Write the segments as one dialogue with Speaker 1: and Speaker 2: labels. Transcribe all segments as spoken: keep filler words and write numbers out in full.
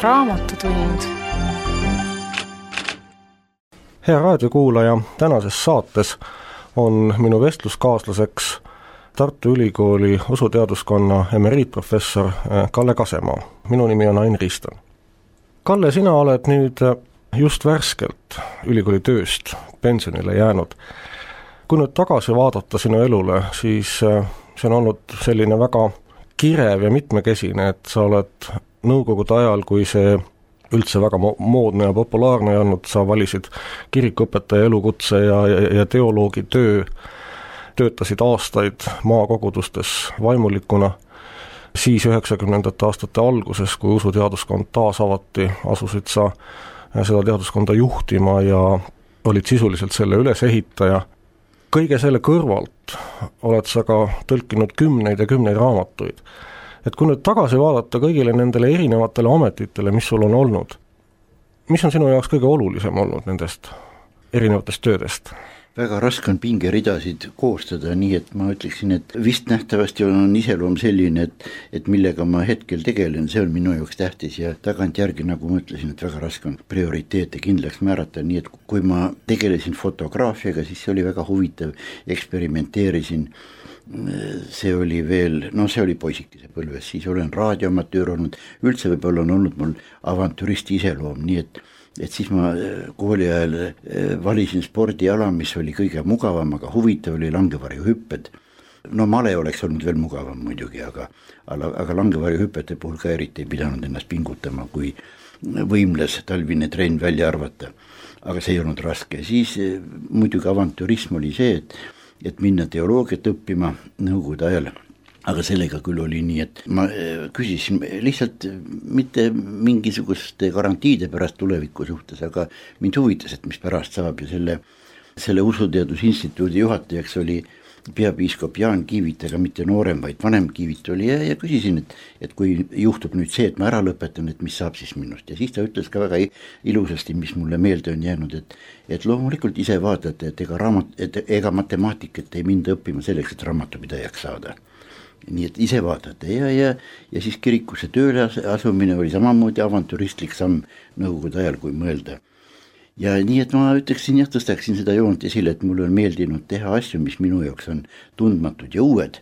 Speaker 1: Raamatutund.
Speaker 2: Hea raadiokuulaja, tänases saates on minu vestluskaaslaseks Tartu Ülikooli usuteaduskonna emeriitprofessor Kalle Kasemaa. Minu nimi on Ain Riston. Kalle, sina oled nüüd just värskelt ülikooli tööst pensionile jäänud. Kui nüüd tagasi vaadata sinu elule, siis see on olnud selline väga kirev ja mitmekesine, et sa oled nõukogude ajal, kui see üldse väga moodne ja populaarne ei olnud, sa valisid kirikuõpetaja elukutse ja, ja, ja teoloogi töö, töötasid aastaid maakogudustes vaimulikuna, siis üheksakümnendate aastate alguses, kui usuteaduskond taas avati, asusid sa seda teaduskonda juhtima ja olid sisuliselt selle ülesehitaja. Kõige selle kõrvalt oled sa ka tõlkinud kümneid ja kümneid raamatuid. Et kui nüüd tagasi vaadata kõigile nendele erinevatele ametitele, mis sul on olnud, mis on sinu jaoks kõige olulisem olnud nendest erinevatest töödest?
Speaker 3: Väga raske on pingeridasid koostada, nii et ma ütleksin, et vist nähtavasti on iseloom selline, et, et millega ma hetkel tegelen, see on minu jaoks tähtis ja tagantjärgi, nagu ma ütlesin, et väga raske on prioriteete kindlaks määrata, nii et kui ma tegelesin fotograafiaga, siis see oli väga huvitav, eksperimenteerisin, see oli veel, no see oli poisikese põlves, siis olen raadioamatöör olnud, üldse võib-olla on olnud mul avantüristi iseloom, nii et et siis ma kooli ajal valisin spordiala, mis oli kõige mugavam, aga huvitav oli langevarjuhüpped. No male oleks olnud veel mugavam muidugi, aga, aga langevarjuhüppete puhul ka eriti ei pidanud ennast pingutama, kui võimles talvine trenn välja arvata. Aga see ei olnud raske. Siis muidugi avantürism oli see, et, et minna teoloogiat õppima nõukogude ajal. Aga sellega küll oli nii, et ma küsisin lihtsalt mitte mingisuguste garantiide pärast tuleviku suhtes, aga mind huvitas, et mis pärast saab ja selle, selle usuteadusinstituudi juhatajaks oli peapiiskop Jaan Kiivit, aga mitte noorem, vaid vanem Kiivit oli ja, ja küsisin, et, et kui juhtub nüüd see, et ma ära lõpetan, et mis saab siis minust. Ja siis ta ütles ka väga ilusasti, mis mulle meelde on jäänud, et, et loomulikult ise vaatate, et ega, raamat, et ega matemaatikat ei minda õppima selleks, et raamatupidajaks saada. Nii et ise vaatate ja, ja, ja siis kirikusse tööle asumine oli samamoodi avantüristlik samm nõukogude ajal, kui mõelda. Ja nii et ma ütleksin, jah, tõstaksin seda joont esile, et mulle on meeldinud teha asju, mis minu jaoks on tundmatud ja uued.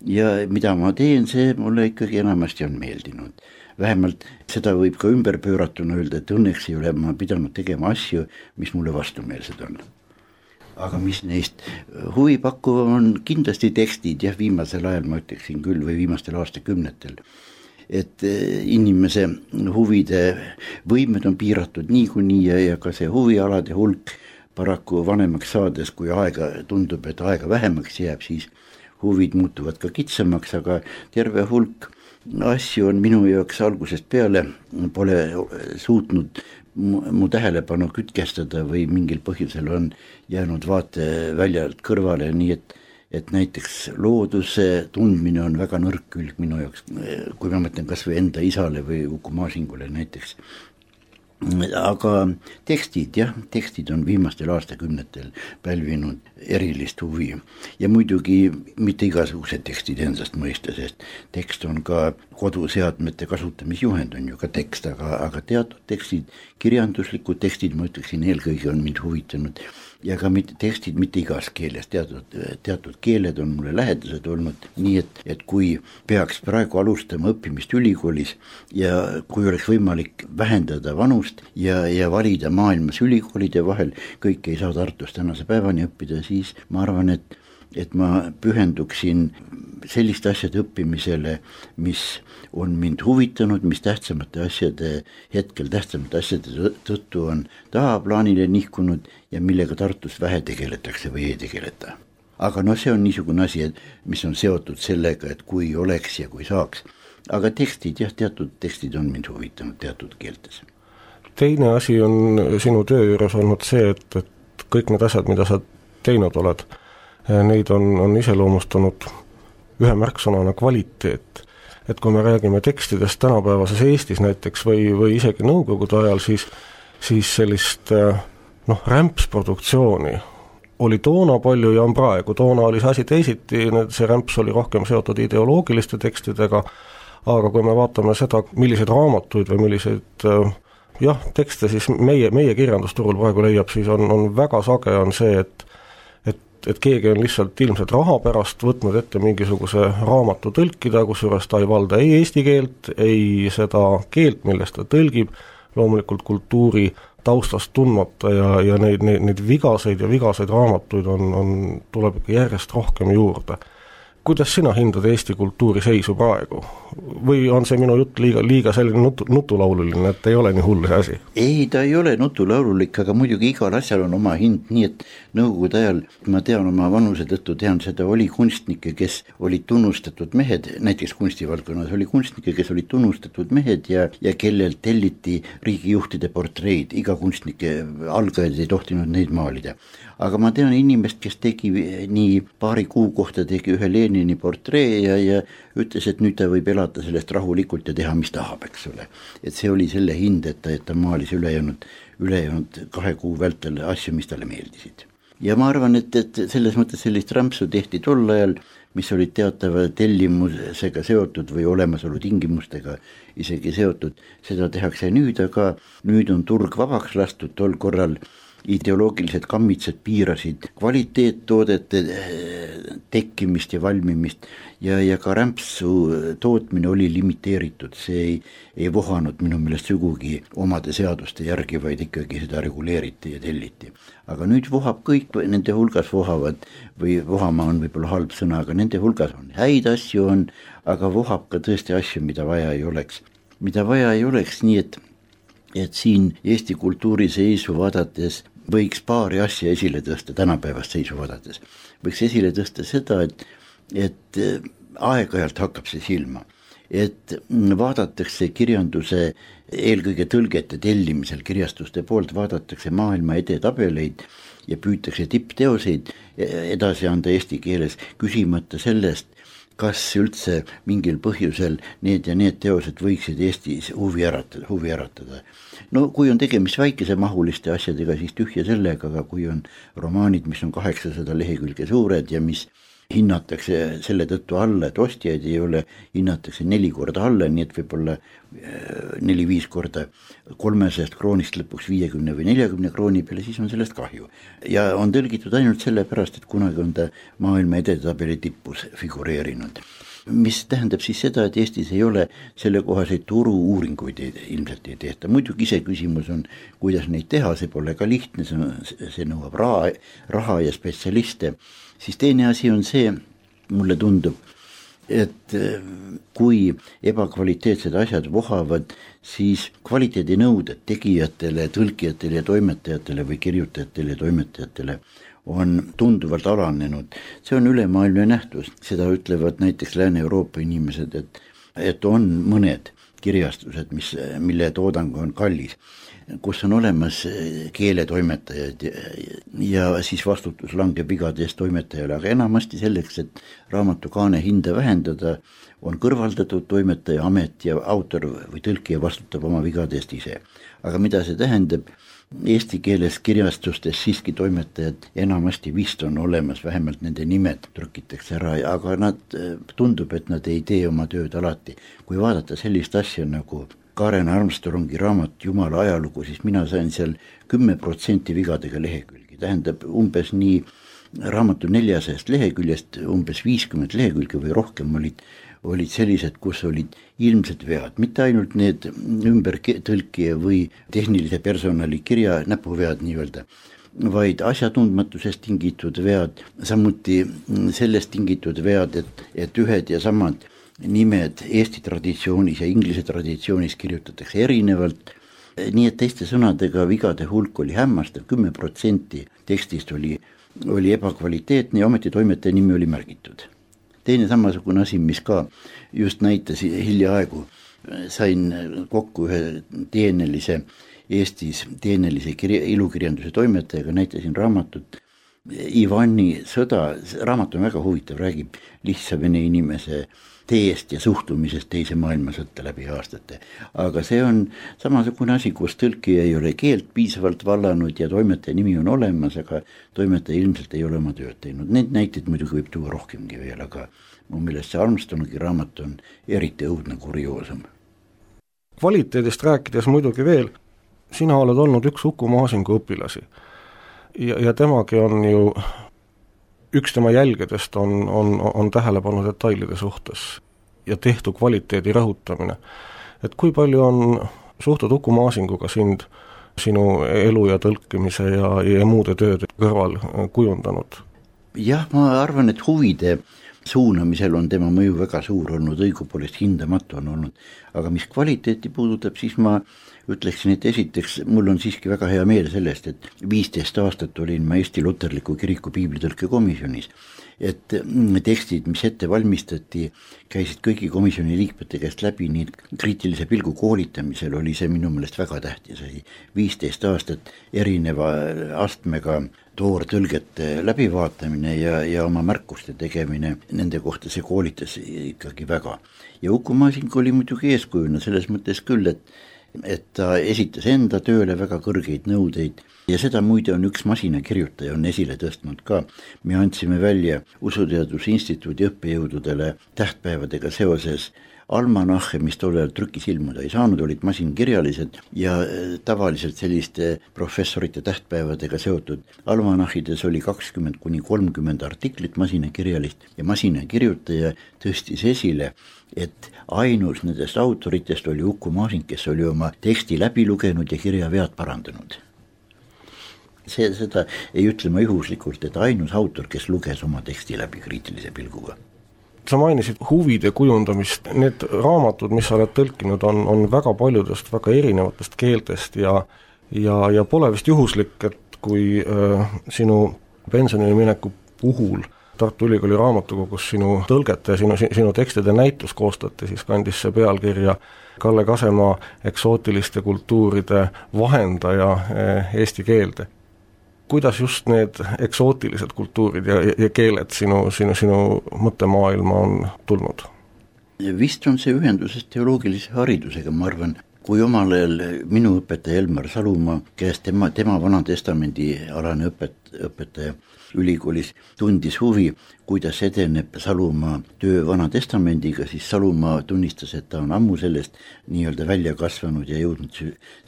Speaker 3: Ja mida ma teen, see mulle ikkagi enamasti on meeldinud. Vähemalt seda võib ka ümber pööratuna öelda, et õnneks ei ole ma pidanud tegema asju, mis mulle vastumeelsed on. Aga mis neist huvi pakkuva on kindlasti tekstid, jah, viimasel ajal ma ütleksin küll või viimastel aastakümnetel, et inimese huvide võimed on piiratud niikuinii ja, ja ka see huvialade hulk paraku vanemaks saades, kui aega tundub, et aega vähemaks jääb, siis huvid muutuvad ka kitsamaks, aga terve hulk asju on minu jaoks algusest peale pole suutnud mu, mu tähelepanu kütkestada või mingil põhjusel on jäänud vaate väljalt kõrvale, nii et, et näiteks looduse tundmine on väga nõrk külg minu jaoks, kui ma mõtlen kas või enda isale või Uku Maasingule näiteks. Aga tekstid, jah, tekstid on viimastel aastakümnetel pälvinud erilist huvi ja muidugi mitte igasugused tekstid ensast mõista, sest tekst on ka koduseadmete kasutamisjuhend on ju ka tekst, aga, aga teatud tekstid, kirjanduslikud tekstid, ma ütleksin, eelkõige on mind huvitanud ja ka mitte, tekstid mitte igas keeles, teatud, teatud keeled on mulle lähedased olnud, nii et, et kui peaks praegu alustama õppimist ülikoolis ja kui oleks võimalik vähendada vanust ja, ja valida maailmas ülikoolide vahel, kõik ei saa Tartus tänase päevani õppida, siis ma arvan, et, et ma pühenduksin selliste asjade õppimisele, mis on mind huvitanud, mis tähtsamate asjade, hetkel tähtsamate asjade tõttu on tahaplaanile nihkunud ja millega Tartus vähe tegeletakse või ei tegeleta. Aga no see on niisugune asi, mis on seotud sellega, et kui oleks ja kui saaks. Aga tekstid, jah, teatud tekstid on mind huvitanud teatud keeltes.
Speaker 2: Teine asi on sinu töö juures olnud see, et, et kõik need asjad, mida sa teinud oled, neid on, on iseloomustanud ühe märksõnana kvaliteet. Et kui me räägime tekstidest tänapäevases Eestis näiteks või, või isegi nõukogude ajal, siis, siis sellist noh, rämpsproduktsiooni oli toona palju ja on praegu. Toona oli see asi teisiti, see rämps oli rohkem seotud ideoloogiliste tekstidega, aga kui me vaatame seda, milliseid raamatuid või milliseid jah, tekste siis meie, meie kirjandusturul praegu leiab, siis on, on väga sage on see, et et, et keegi on lihtsalt ilmselt raha pärast võtnud ette mingisuguse raamatu tõlkida, kusjuures ta ei valda ei eesti keelt, ei seda keelt, millest ta tõlgib, loomulikult kultuuri taustast tundmata ja, ja neid, neid, neid vigaseid ja vigaseid raamatuid on, on, tuleb järjest rohkem juurde. Kuidas sina hindad Eesti kultuuri seisu praegu? Või on see minu jutt liiga, liiga selline nutu, nutulaululine, et ei ole nii hull see asi?
Speaker 3: Ei, ta ei ole nutulaululik, aga muidugi igal asjal on oma hind, nii et nõukogude ajal, ma tean oma vanuse tõttu, tean seda, oli kunstnikke, kes olid tunnustatud mehed, näiteks kunstivaldkonnas oli kunstnikke, kes olid tunnustatud mehed ja, ja kellelt telliti riigijuhtide portreid, iga kunstnike algajad ei tohtinud neid maalida. Aga ma tean inimest, kes tegi nii paari kuu kohta tegi ühe Lenini portree ja, ja ütles, et nüüd ta võib elada sellest rahulikult ja teha, mis tahab, eks ole. Et see oli selle hind, et ta, et ta maalis ülejäänud, ülejäänud kahe kuu vältel asju, mis talle meeldisid. Ja ma arvan, et, et selles mõttes sellist rämpsu tehti tol ajal, mis olid teatava tellimusega seotud või olemasolu tingimustega isegi seotud, seda tehakse nüüd, aga nüüd on turg vabaks lastud, tol korral ideoloogilised kammitsed piirasid kvaliteettoodete tekkimist ja valmimist ja, ja ka rämpsu tootmine oli limiteeritud, see ei, ei vohanud minu meelest sugugi omade seaduste järgi, vaid ikkagi seda reguleeriti ja telliti. Aga nüüd vohab kõik, nende hulgas vohavad, või vohama on võib-olla halb sõna, aga nende hulgas on häid asju on, aga vohab ka tõesti asju, mida vaja ei oleks. Mida vaja ei oleks, nii et, et siin Eesti kultuuri seisu vaadates võiks paari asja esile tõsta, tänapäevast seisu vaadates. Võiks esile tõsta seda, et, et aeg-ajalt hakkab see silma, et vaadatakse kirjanduse eelkõige tõlgete tellimisel kirjastuste poolt, vaadatakse maailma edetabeleid ja püütakse tippteoseid edasi anda eesti keeles, küsimata sellest, kas üldse mingil põhjusel need ja need teosed võiksid Eestis huvi äratada, huvi äratada. No kui on tegemist väikese mahuliste asjadega, siis tühja sellega, aga kui on romaanid, mis on kaheksasada lehekülge suured ja mis hinnatakse selle tõttu alla, et ostjaid ei ole, hinnatakse neli korda alla, nii et võib-olla neli-viis korda kolmesajast kroonist lõpuks viiekümne või neljakümne krooni peale, siis on sellest kahju. Ja on tõlgitud ainult selle pärast, et kunagi on ta maailma edetabeli tippus figureerinud. Mis tähendab siis seda, et Eestis ei ole sellekohaseid turu-uuringuid ilmselt ei tehta. Muidugi ise küsimus on, kuidas neid teha, see pole ka lihtne, see, see nõuab raha, raha ja spetsialiste. Siis teine asi on see, mulle tundub, et kui ebakvaliteetsed asjad vohavad, siis kvaliteedinõuded tegijatele, tõlkijatele ja toimetajatele või kirjutajatele ja toimetajatele on tunduvalt alanenud. See on ülemaailmne nähtus, seda ütlevad näiteks Lääne-Euroopa inimesed, et, et on mõned kirjastused, mis, mille toodang on kallis, kus on olemas keeletoimetajad ja, ja siis vastutus langeb vigade eest toimetajale, aga enamasti selleks, et raamatu kaane hinda vähendada, on kõrvaldatud toimetaja amet ja autor või tõlkija vastutab oma vigade eest ise. Aga mida see tähendab? Eesti keeles kirjastustes siiski toimetajad enamasti vist on olemas, vähemalt nende nimed trükitakse ära, aga nad, tundub, et nad ei tee oma tööd alati. Kui vaadata sellist asja nagu Karen Armstrongi raamat Jumala ajalugu, siis mina sain seal kümme protsenti vigadega lehekülgi. Tähendab umbes nii raamatu neljasajast leheküljest, umbes viiskümmend lehekülge või rohkem olid, olid sellised, kus olid ilmsed vead, mitte ainult need ümber tõlkija või tehnilise personali kirja näpuvead nii-öelda, vaid asjatundmatusest tingitud vead, samuti sellest tingitud vead, et, et ühed ja samad nimed Eesti traditsioonis ja inglise traditsioonis kirjutatakse erinevalt, nii et teiste sõnadega vigade hulk oli hämmastav, kümme protsenti tekstist oli, oli ebakvaliteetne ja ometi toimetaja nimi oli märgitud. Teine samasugune asi, mis ka just näitas hiljaaegu, sain kokku ühe teenelise Eestis teenelise kirja, ilukirjanduse toimetajaga, näitasin raamatut, Ivani sõda, raamat on väga huvitav, räägib lihtsa vene inimese teest ja suhtumisest teise maailmasõtta läbi aastate. Aga see on samasugune asi, kus tõlkija ei ole keelt piisavalt vallanud ja toimetaja nimi on olemas, aga toimetaja ilmselt ei ole oma tööd teinud. Need näiteid muidugi võib tuua rohkemgi veel, aga mu meelest see Armstrongi raamat on eriti õudne kurioosum.
Speaker 2: Kvaliteedist rääkides muidugi veel, sina oled olnud üks Uku Maasingu õpilasi ja, ja temagi on ju, üks tema jälgedest on, on, on tähelepanu detailide suhtes ja tehtu kvaliteedi rõhutamine. Et kui palju on suhtud Uku Maasinguga sind, sinu elu ja tõlkimise ja, ja muude tööde kõrval kujundanud?
Speaker 3: Jah, ma arvan, et huvide suunamisel on tema mõju väga suur olnud, õigupoolest hindamatu on olnud, aga mis kvaliteeti puudutab, siis ma ütleksin, et esiteks mul on siiski väga hea meel sellest, et viisteist aastat olin ma Eesti Luterliku Kiriku piiblitõlke komisjonis, et tekstid, mis ette valmistati, käisid kõigi komisjoni liikmete käest läbi, nii kriitilise pilgu koolitamisel oli see minu meelest väga tähtis asi. viisteist aastat erineva astmega toortõlgete läbivaatamine ja, ja oma märkuste tegemine, nende kohta see koolitas ikkagi väga. Ja Uku Masing oli muidugi eeskujuna selles mõttes küll, et et ta esitas enda tööle väga kõrgeid nõudeid ja seda muide on üks masinakirjutaja on esile tõstnud ka. Me andsime välja Usuteaduse Instituudi õppejõududele tähtpäevadega seoses almanahhe, mis tollel trükis ilmuda ei saanud, olid masinkirjalised ja tavaliselt selliste professorite tähtpäevadega seotud almanahhides oli kakskümmend kuni kolmkümmend artiklit masinakirjalist ja masinakirjutaja tõstis esile, et ainus nendest autoritest oli Uku Masing, kes oli oma teksti läbi lugenud ja kirjavead parandanud. See, seda ei ütle ma juhuslikult, et ainus autor, kes luges oma teksti läbi kriitilise pilguga.
Speaker 2: Sa mainisid huvide kujundamist, need raamatud, mis sa oled tõlkinud, on, on väga paljudest väga erinevatest keeltest ja, ja, ja pole vist juhuslik, et kui äh, sinu pensionile mineku puhul Tartu Ülikooli raamatukogus sinu tõlgete ja sinu, sinu tekstide näitus koostati, siis kandis see pealkirja Kalle Kasemaa eksootiliste kultuuride vahendaja eesti keelde. Kuidas just need eksootilised kultuurid ja, ja keeled sinu, sinu, sinu mõttemaailma on tulnud?
Speaker 3: Vist on see ühenduses teoloogilise haridusega, ma arvan, kui omal ajal minu õpetaja Elmar Salumaa käest tema, tema Vanatestamendi alane õpet, õpetaja ülikoolis tundis huvi, kuidas edeneb Salumaa töö Vanatestamendiga, siis Salumaa tunnistas, et ta on ammu sellest nii-öelda välja kasvanud ja jõudnud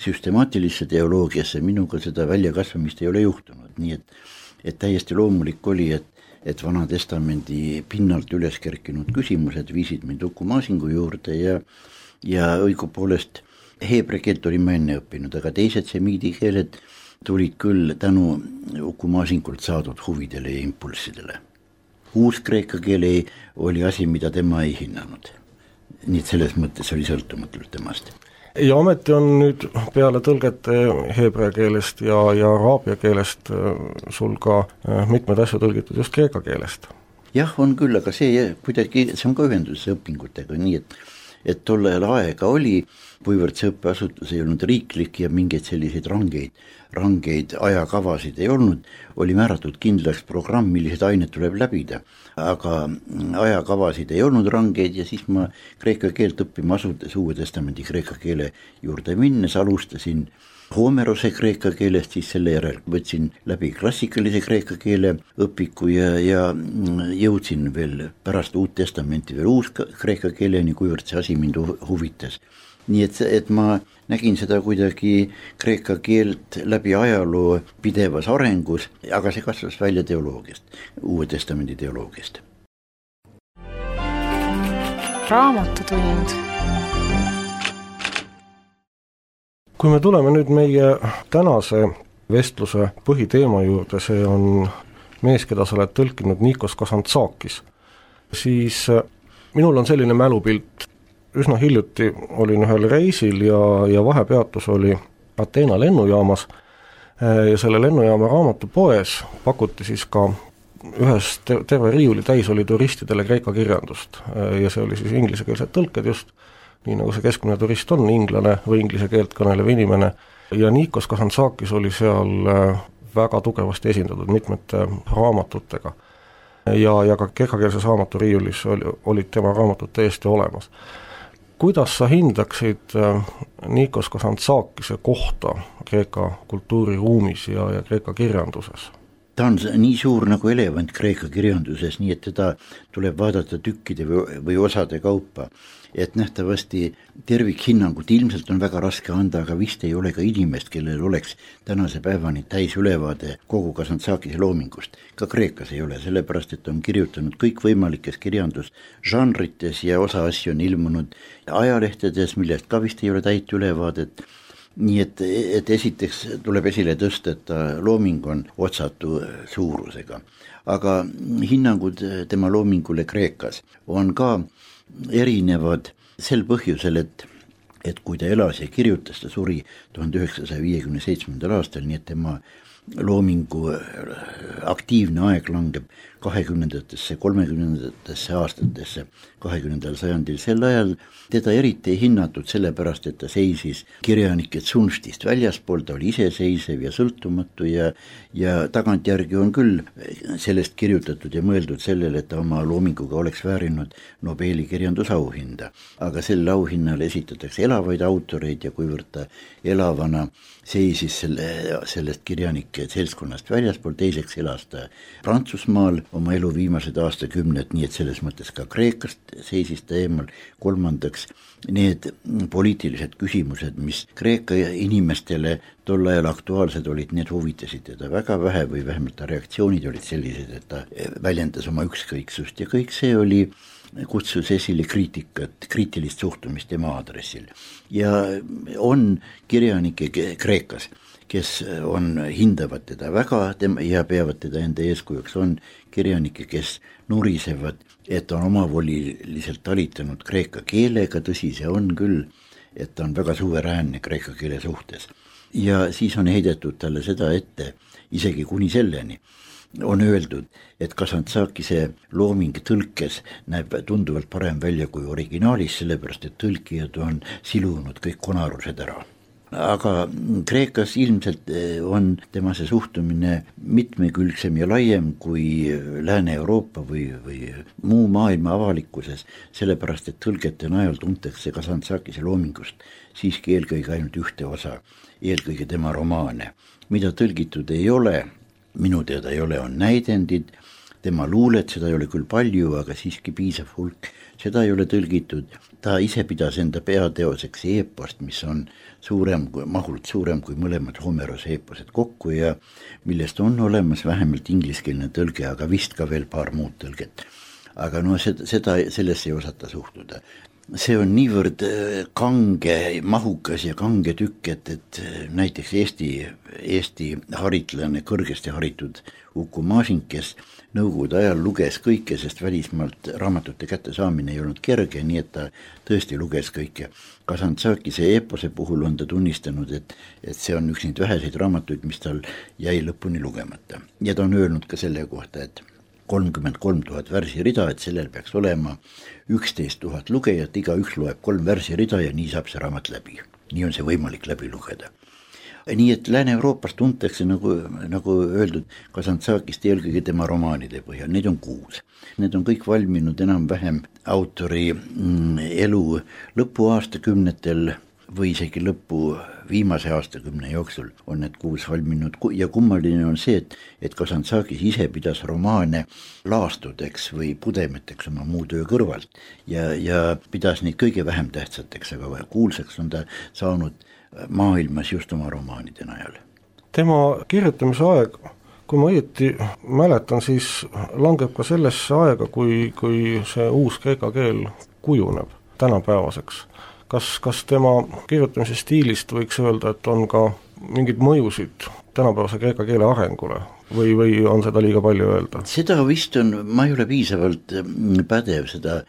Speaker 3: süstemaatilisse teoloogiasse. Minuga seda väljakasvamist ei ole juhtunud, nii et, et täiesti loomulik oli, et, et Vanatestamendi pinnalt üles kerkinud küsimused viisid mind Uku Masingu juurde ja, ja õigupoolest heebrea keelt olin ma enne õppinud, aga teised semiidi keeled tulid küll tänu Uku Masingult saadud huvidele ja impulssidele. Uus kreeka keele oli asi, mida tema ei hinnanud. Nii et selles mõttes oli sõltumatult temast.
Speaker 2: Ja ometi on nüüd peale tõlgete heebrea keelest ja, ja araabia keelest sul ka mitmed asju tõlgitud just kreeka keelest.
Speaker 3: Jah, on küll, aga see, kuidagi, see on ka ühenduses õpingutega, nii et et tollel aega oli, kuivõrd see õppeasutus ei olnud riiklik ja mingeid selliseid rangeid, rangeid ajakavasid ei olnud, oli määratud kindlaks programm, millised ained tuleb läbida, aga ajakavasid ei olnud rangeid ja siis ma kreeka keelt õppima asudes Uue Testamendi kreeka keele juurde minnes alustasin Homerose kreeka keelest, siis selle järel võtsin läbi klassikalise kreeka keele õpiku ja, ja jõudsin veel pärast Uut Testamenti veel uus kreeka keeleni, kuivõrd see asi mind huvitas. Nii et, et ma nägin seda kuidagi kreeka keelt läbi ajaloo pidevas arengus, aga see kasvas välja teoloogiast, Uue Testamendi teoloogiast.
Speaker 1: Raamatutund.
Speaker 2: Kui me tuleme nüüd meie tänase vestluse põhiteema juurde, see on mees, keda sa oled tõlkinud Nikos Kazantzakis, siis minul on selline mälupilt. Üsna hiljuti olin ühel reisil ja, ja vahepeatus oli Ateena lennujaamas ja selle lennujaama raamatupoes pakuti siis ka ühes terve riiuli täis oli turistidele kreeka kirjandust ja see oli siis inglisekeelsed tõlked just, nii nagu see keskmine turist on, inglane või inglise keelt kõnelev inimene ja Nikos Kazantzakis oli seal väga tugevasti esindatud mitmete raamatutega. Ja, ja ka kreekakeelses raamaturiiulis oli, olid tema raamatud täiesti olemas. Kuidas sa hindaksid Nikos Kazantzakise kohta Kreeka kultuuriruumis ja, ja Kreeka kirjanduses?
Speaker 3: Ta on nii suur nagu elevant Kreeka kirjanduses, nii et teda tuleb vaadata tükkide või, või osade kaupa. Et nähtavasti tervikhinnangut ilmselt on väga raske anda, aga vist ei ole ka inimest, kellel oleks tänase päevani täis ülevaade kogu Kazantzakise loomingust. Ka Kreekas ei ole, sellepärast et on kirjutanud kõik võimalikes kirjandusžanrites ja osa asju on ilmunud ajalehtedes, millest ka vist ei ole täit ülevaadet. Nii et, et esiteks tuleb esile tõsta, et looming on otsatu suurusega. Aga hinnangud tema loomingule Kreekas on ka erinevad sel põhjusel, et, et kui ta elas ja kirjutas, ta suri tuhande üheksasaja viiekümne seitsmendal aastal, nii et tema loomingu aktiivne aeg langeb kahekümnendatesse, kolmekümnendatesse aastatesse kahekümnendal sajandil. Sel ajal teda eriti ei hinnatud sellepärast, et ta seisis kirjanike tsunftist väljaspool, ta oli iseseisev ja sõltumatu ja, ja tagantjärgi on küll sellest kirjutatud ja mõeldud sellele, et ta oma loominguga oleks väärinud Nobeli kirjandusauhinda. Aga sel auhinnal esitatakse elavaid autoreid ja kuivõrd ta elavana seisis selle, sellest kirjanike seltskonnast väljaspool, teiseks elas ta Prantsusmaal oma elu viimased aastakümned, nii et selles mõttes ka Kreekast seisis ta eemal. Kolmandaks, need poliitilised küsimused, mis Kreeka inimestele tol ajal aktuaalsed olid, need huvitasid teda väga vähe või vähemalt ta reaktsioonid olid sellised, et ta väljendas oma ükskõiksust ja kõik see oli kutsus esile kriitikat, kriitilist suhtumist tema aadressil. Ja on kirjanike Kreekas, kes on, hindavad teda väga ja peavad teda enda eeskujuks, on kirjanike, kes nurisevad, et on omavoliliselt talitanud kreeka keelega, tõsi see on küll, et ta on väga suveräänne kreeka keele suhtes. Ja siis on heidetud talle seda ette, isegi kuni selleni, on öeldud, et Kazantzakise looming tõlkes näeb tunduvalt parem välja kui originaalis, sellepärast et tõlkijad on silunud kõik konarused ära. Aga Kreekas ilmselt on tema see suhtumine mitmekülgsem ja laiem kui Lääne-Euroopa või, või muu maailma avalikkuses, sellepärast et tõlgete najal tuntakse Kazantzakise loomingust siiski eelkõige ainult ühte osa, eelkõige tema romaane. Mida tõlgitud ei ole, minu teada ei ole, on näidendid, tema luulet, seda ei ole küll palju, aga siiski piisav hulk, seda ei ole tõlgitud. Ta ise pidas enda peateoseks eepost, mis on suurem, mahult suurem kui mõlemad Homerose eeposed kokku ja millest on olemas vähemalt ingliskeelne tõlge, aga vist ka veel paar muud tõlget. Aga no seda, seda sellesse ei osata suhtuda. See on niivõrd kange, mahukas ja kange tükk, et, et näiteks Eesti, Eesti haritlane, kõrgesti haritud Uku Masing, kes nõukogude ajal luges kõike, sest välismaalt raamatute kätte saamine ei olnud kerge, nii et ta tõesti luges kõike. Kazantzakise eepose puhul on ta tunnistanud, et, et see on üks neid väheseid raamatuid, mis tal jäi lõpuni lugemata. Ja ta on öelnud ka selle kohta, et kolmkümmend kolm tuhat värsirida, et sellel peaks olema üksteist tuhat lugejat, iga üks loeb kolm värsirida ja nii saab see raamat läbi. Nii on see võimalik läbi lugeda. Nii et Lääne-Euroopas tuntakse, nagu, nagu öeldud, Kazantzakist eelkõige tema romaanide põhjal, neid on kuus. Need on kõik valminud enam-vähem autori mm, elu lõpuaastakümnetel või isegi lõppu viimase aastakümne jooksul on need kuus valminud ja kummaline on see, et, et Kazantzakis ise pidas romaane laastudeks või pudemeteks oma muu töö kõrvalt ja, ja pidas neid kõige vähem tähtsateks, aga kuulsaks on ta saanud maailmas just oma romaanide najal.
Speaker 2: Tema kirjutamise aeg, kui ma õieti mäletan, siis langeb ka sellesse aega, kui, kui see uus kreeka keel kujuneb tänapäevaseks. Kas, kas tema kirjutamise stiilist võiks öelda, et on ka mingid mõjusid tänapäevase kreeka keele arengule või, või on seda liiga palju öelda?
Speaker 3: Seda vist on, ma ei ole piisavalt pädev seda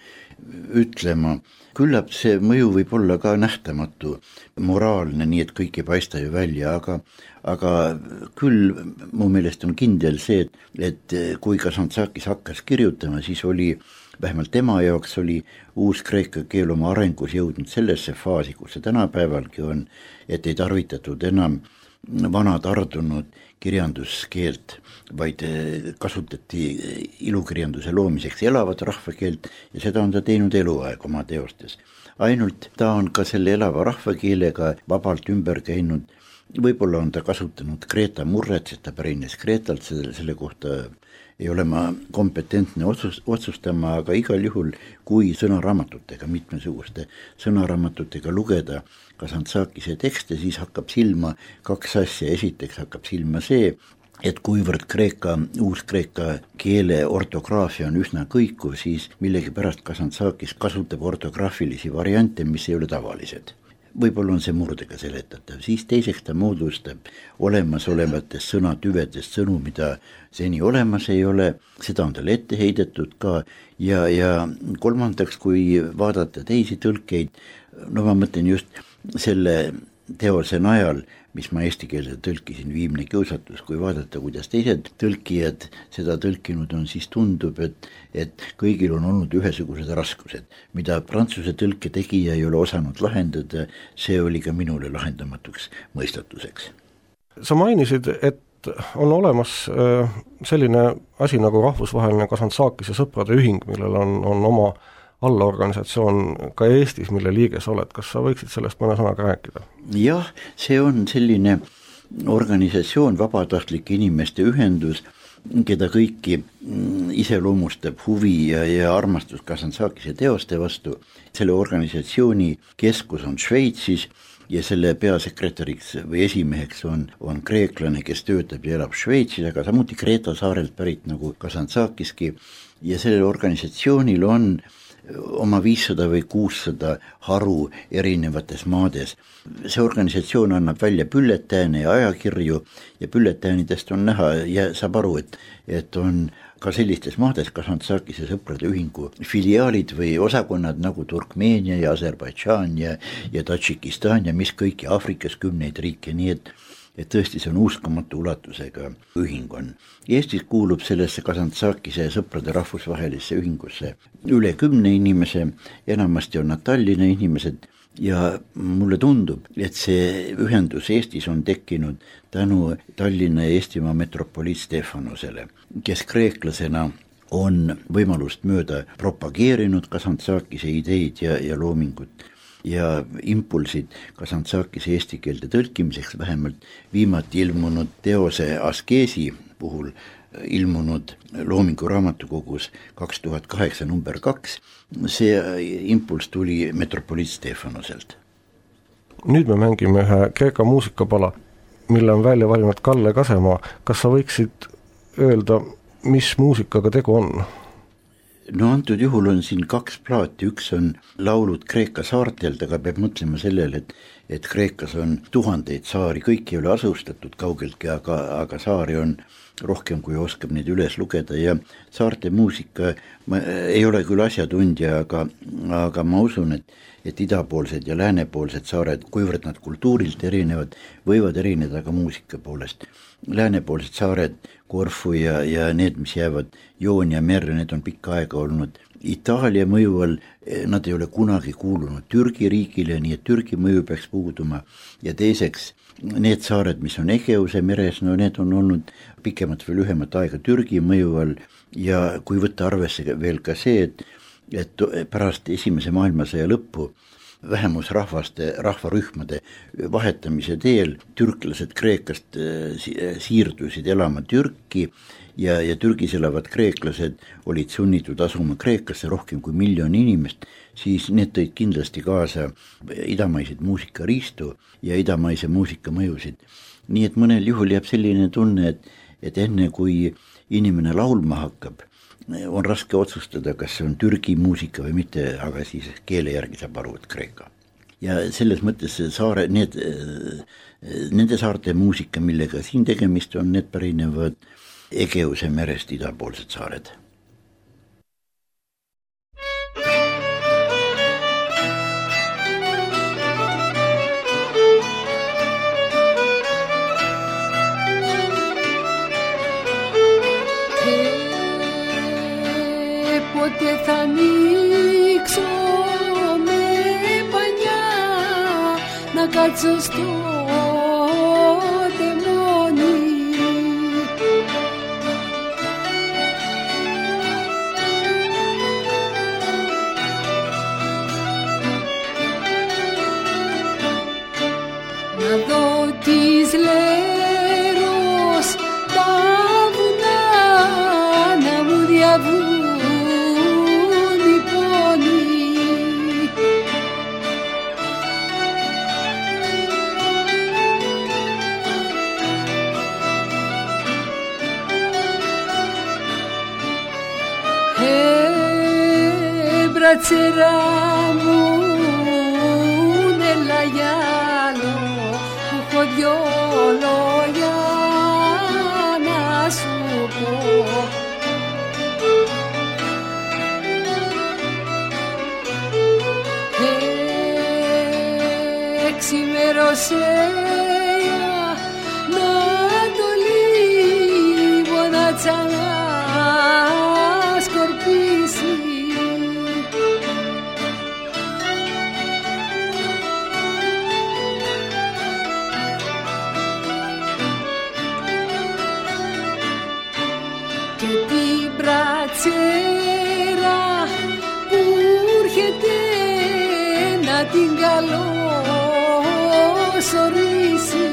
Speaker 3: ütlema. Küllap see mõju võib olla ka nähtamatu, moraalne, nii et kõik ei paista ju välja, aga, aga küll mu meelest on kindel see, et, et kui Kazantzakis hakkas kirjutama, siis oli vähemalt tema jaoks oli uus kreeka keel oma arengus jõudnud sellesse faasi, kus see tänapäevalgi on, et ei tarvitatud enam vana tardunud kirjanduskeelt, vaid kasutati ilukirjanduse loomiseks elavat rahvakeelt ja seda on ta teinud eluaeg oma teostes. Ainult ta on ka selle elava rahvakeelega vabalt ümber käinud, võib-olla on ta kasutanud Kreeta murret, sest ta pärines Kreetalt, selle, selle kohta ei ole ma kompetentne otsus, otsustama, aga igal juhul, kui sõnaraamatutega, mitmesuguste sõnaraamatutega lugeda Kazantzakise tekste, siis hakkab silma kaks asja. Esiteks hakkab silma see, et kuivõrd kreeka, uuskreeka keele ortograafia on üsna kõikuv, siis millegipärast Kazantzakis kasutab ortograafilisi variante, mis ei ole tavalised. Võib-olla on see murdega seletatav, siis teiseks ta moodustab olemasolevatest sõnatüvedest sõnu, mida seni olemas ei ole, seda on tal ette heidetud ka ja, ja kolmandaks, kui vaadata teisi tõlkeid, no ma mõtlen just selle teose najal, mis ma eesti keelde tõlkisin, Viimne kiusatus, kui vaadata, kuidas teised tõlkijad seda tõlkinud on, siis tundub, et, et kõigil on olnud ühesugused raskused, mida prantsuse tõlke tegija ei ole osanud lahendada, see oli ka minule lahendamatuks mõistatuseks.
Speaker 2: Sa mainisid, et on olemas selline asi nagu rahvusvaheline Kazantzakise sõprade ühing, millel on, on oma allaorganisatsioon ka Eestis, mille liiges oled. Kas sa võiksid sellest mõne sõnaga rääkida?
Speaker 3: Jah, see on selline organisatsioon, vabatahtlik inimeste ühendus, keda kõiki iseloomustab huvi ja, ja armastus Kazantzakise teoste vastu. Selle organisatsiooni keskus on Šveitsis ja selle peasekretäriks või esimeheks on, on kreeklane, kes töötab ja elab Šveitsis, aga samuti Kreeta saarelt pärit nagu Kazantzakiski ja sellel organisatsioonil on oma viissada või kuussada haru erinevates maades. See organisatsioon annab välja bülletääne ja ajakirju ja bülletäänidest on näha ja saab aru, et, et on ka sellistes maades Kazantzakise sõprade ühingu filiaalid või osakonnad nagu Turkmeenia ja Aserbaidžaan ja, ja Tadžikistan ja mis kõiki Aafrikas kümneid riike, nii et et tõesti see on uskamatu ulatusega ühing on. Eestis kuulub sellesse Kazantzakise sõprade rahvusvahelisse ühingusse üle kümne inimese, enamasti on nad Tallinna inimesed ja mulle tundub, et see ühendus Eestis on tekkinud tänu Tallinna ja Eestimaa metropoliit Stefanosele, kes kreeklasena on võimalust mööda propageerinud Kazantzakise ideid ja, ja loomingut ja impulsid Kazantzakise eesti keelde tõlkimiseks, vähemalt viimati ilmunud teose Askeesi puhul ilmunud loomingu raamatukogus kaks tuhat kaheksa number kaks, see impuls tuli metropoliit Stefanoselt.
Speaker 2: Nüüd me mängime ühe kreeka muusikapala, mille on välja valinud Kalle Kasemaa. Kas sa võiksid öelda, mis muusikaga tegu on?
Speaker 3: No antud juhul on siin kaks plaati, üks on laulud Kreeka saartelt, aga peab mõtlema sellele, et, et Kreekas on tuhandeid saari, kõik ei ole asustatud kaugeltki, aga, aga saari on rohkem, kui oskab neid üles lugeda ja saarte muusika, ma ei ole küll asjatundja, aga, aga ma usun, et, et idapoolsed ja läänepoolsed saared, kuivõrd nad kultuurilt erinevad, võivad erineda ka muusika poolest. Läänepoolsed saared, Korfu ja, ja need, mis jäävad Joonia merre, need on pikka aega olnud Itaalia mõju all, nad ei ole kunagi kuulunud Türgi riigile, nii et Türgi mõju peaks puuduma ja teiseks need saared, mis on Egeuse meres, no need on olnud pikemat või lühemat aega Türgi mõju all ja kui võtta arvesse veel ka see, et, et pärast esimese maailmasõja lõppu vähemusrahvaste, rahvarühmade vahetamise teel türklased Kreekast siirdusid elama Türki ja, ja Türgis elavad kreeklased olid sunnitud asuma Kreekasse rohkem kui miljon inimest, siis need tõid kindlasti kaasa idamaiseid muusikariistu ja idamaise muusika mõjusid. Nii et mõnel juhul jääb selline tunne, et, et enne kui inimene laulma hakkab, on raske otsustada, kas see on Türgi muusika või mitte, aga siis keele järgi saab aru, et Kreeka. Ja selles mõttes saare, need, nende saarte muusika, millega siin tegemist on, need pärinevad Egeuse merest idapoolsed saared.
Speaker 4: Πότε θα ανοίξω με πανιά να κάτσω στο μπρατσερά μου έλα για άλλο που έχω δυο λόγια να σου πω. Εξημέρωσε να το λίγο να ξανά σκορπίσει. Και την πρατσέρα που έρχεται να την καλώ σωρίσει.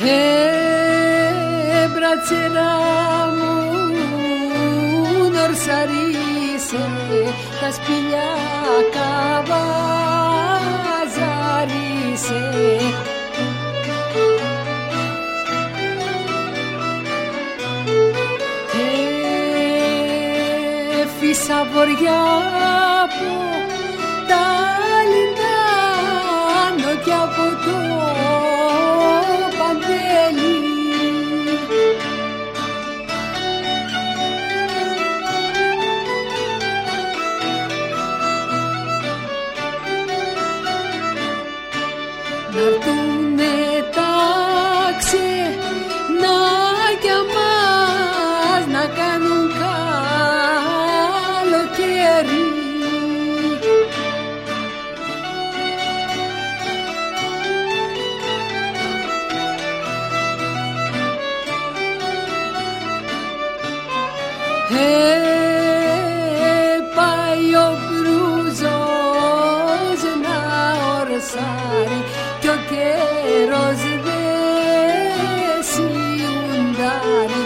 Speaker 4: Ε, μπρατσερά μου νορσαρίσε τα σπηλιά καβαζαρίσε. Φύσα βοριά από τα λιντάνο και από το παντέλι. Να'ρθούνε τα ξενάκια μας να κάνουν καλοκαίρι. Ε, πάει ο μπρούζος να ορσάρει κι ο καιρός δεν σιουντάρει.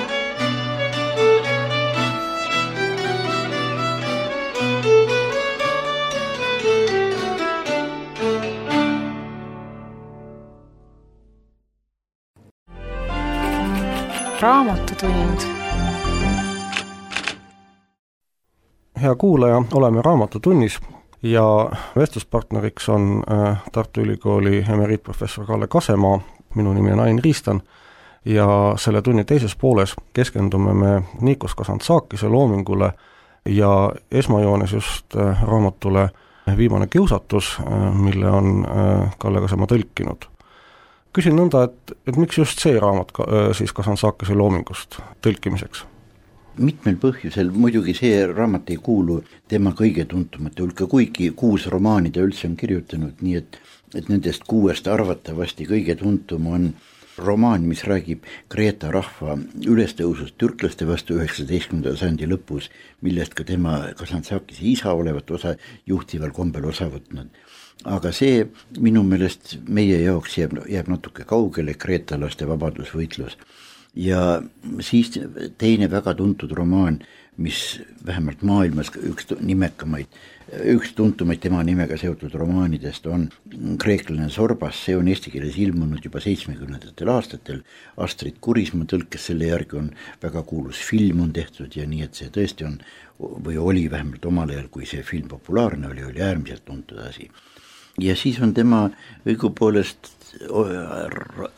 Speaker 1: Raamatutund.
Speaker 2: Hea kuulaja, oleme Raamatutunnis ja vestluspartneriks on Tartu Ülikooli emeriitprofessor Kalle Kasemaa, minu nimi on Ain Riistan ja selle tunni teises pooles keskendume me Nikos Kazantzakise loomingule ja esmajoones just raamatule Viimane kiusatus, mille on Kalle Kasemaa tõlkinud. Küsin nõnda, et, et miks just see raamat ka, siis Kazantzakise loomingust tõlkimiseks?
Speaker 3: Mitmel põhjusel, muidugi see raamat ei kuulu tema kõige tuntumate hulka, kuigi kuus romaani ta üldse on kirjutanud, nii et, et nendest kuuest arvatavasti kõige tuntum on romaan, mis räägib Kreeta rahva ülestõusust türklaste vastu üheksateistkümnenda sajandi lõpus, millest ka tema Kazantzakise isa olevat osa juhtival kombel osa võtnud. Aga see minu meelest meie jaoks jääb, jääb natuke kaugele, kreetalaste vabadusvõitlus. Ja siis teine väga tuntud romaan, mis vähemalt maailmas üks nimekamaid, üks tuntumaid tema nimega seotud romaanidest on Kreeklane Sorbas, see on eesti keeles ilmunud juba seitsmekümnendatel aastatel, Astrid Kurismaa tõlkes selle järgi on väga kuulus film on tehtud ja nii, et see tõesti on, või oli vähemalt omal ajal, kui see film populaarne oli, oli äärmiselt tuntud asi. Ja siis on tema õigupoolest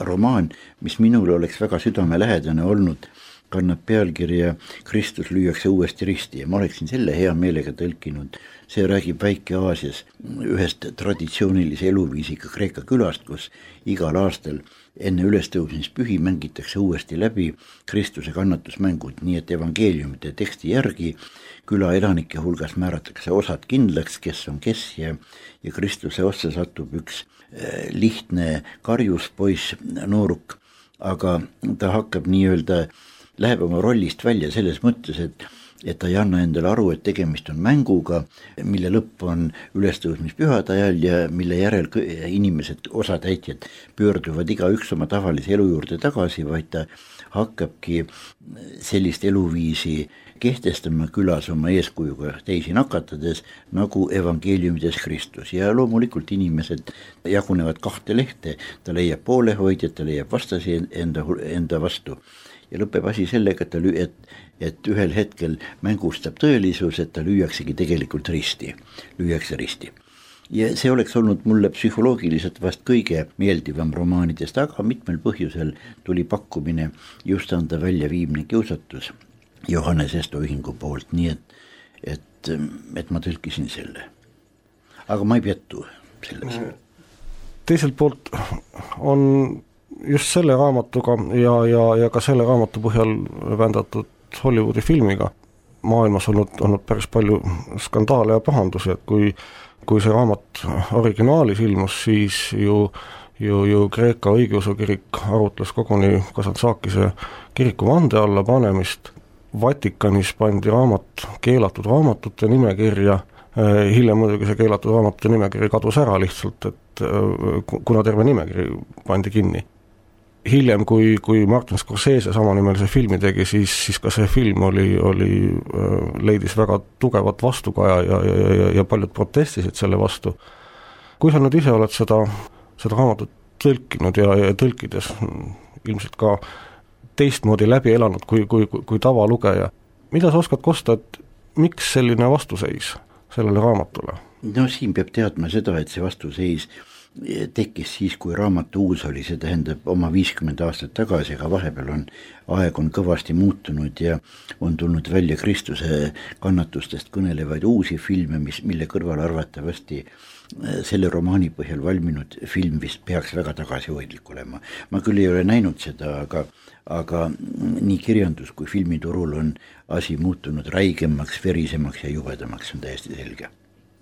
Speaker 3: romaan, mis minul oleks väga südamelähedane olnud, kannab pealkirja Kristus lüüakse uuesti risti ja ma oleksin selle hea meelega tõlkinud. See räägib Väike-Aasias ühest traditsioonilise eluviisiga Kreeka külast, kus igal aastal enne ülestõusmispühi mängitakse uuesti läbi Kristuse kannatusmängud, nii et evangeeliumite teksti järgi küla elanike hulgas määratakse osad kindlaks, kes on kes ja, ja Kristuse ossa satub üks lihtne karjuspoiss, nooruk, aga ta hakkab nii-öelda, läheb oma rollist välja selles mõttes, et, et ta ei anna endale aru, et tegemist on mänguga, mille lõpp on ülestõusmispühade ajal ja mille järel inimesed, osatäitjad pöörduvad igaüks oma tavalise elu juurde tagasi, vaid ta hakkabki sellist eluviisi kehtestama külas oma eeskujuga teisi nakatades, nagu evangeeliumides Kristus. Ja loomulikult inimesed jagunevad kahte lehte, ta leiab poolehoidjad, ta leiab vastasi enda, enda vastu. Ja lõpeb asi sellega, et, ta lü- et, et ühel hetkel mängustab tõelisus, et ta lüüaksegi tegelikult risti, lüüakse risti. Ja see oleks olnud mulle psühholoogiliselt vast kõige meeldivam romaanidest, aga mitmel põhjusel tuli pakkumine just anda välja Viimne kiusatus Johannes Esto ühingu poolt, nii et, et, et ma tõlkisin selle. Aga ma ei pettu selles.
Speaker 2: Teiselt poolt on just selle raamatuga ja, ja, ja ka selle raamatu põhjal vändatud Hollywoodi filmiga maailmas olnud, olnud päris palju skandaale ja pahandusi, et kui, kui see raamat originaalis ilmus, siis ju, ju, ju Kreeka õigeusu kirik arutles koguni Kazantzakise kiriku vande alla panemist. Vatikanis pandi raamat keelatud raamatute nimekirja, hiljem muidugi see keelatud raamatute nimekiri kadus ära lihtsalt, et kuna terve nimekiri pandi kinni. Hiljem, kui, kui Martin Scorsese samanimelise filmi tegi, siis, siis ka see film oli, oli, leidis väga tugevat vastukaja ja, ja, ja, ja paljud protestisid selle vastu. Kui sa nüüd ise oled seda, seda raamatut tõlkinud ja, ja tõlkides ilmselt ka teistmoodi läbi elanud kui, kui, kui, kui tavalugeja. Mida sa oskad kosta, et miks selline vastuseis sellele raamatule?
Speaker 3: No siin peab teadma seda, et see vastuseis tekkis siis, kui raamatu uus oli, see tähendab oma viiskümmend aastat tagasi, aga vahepeal on aeg on kõvasti muutunud ja on tulnud välja Kristuse kannatustest kõnelevaid uusi filme, mis, mille kõrval arvatavasti selle romaani põhjal valminud film vist peaks väga tagasihoidlik olema. Ma küll ei ole näinud seda, aga, aga nii kirjandus kui filmiturul on asi muutunud räigemaks, verisemaks ja jubedamaks, on täiesti selge.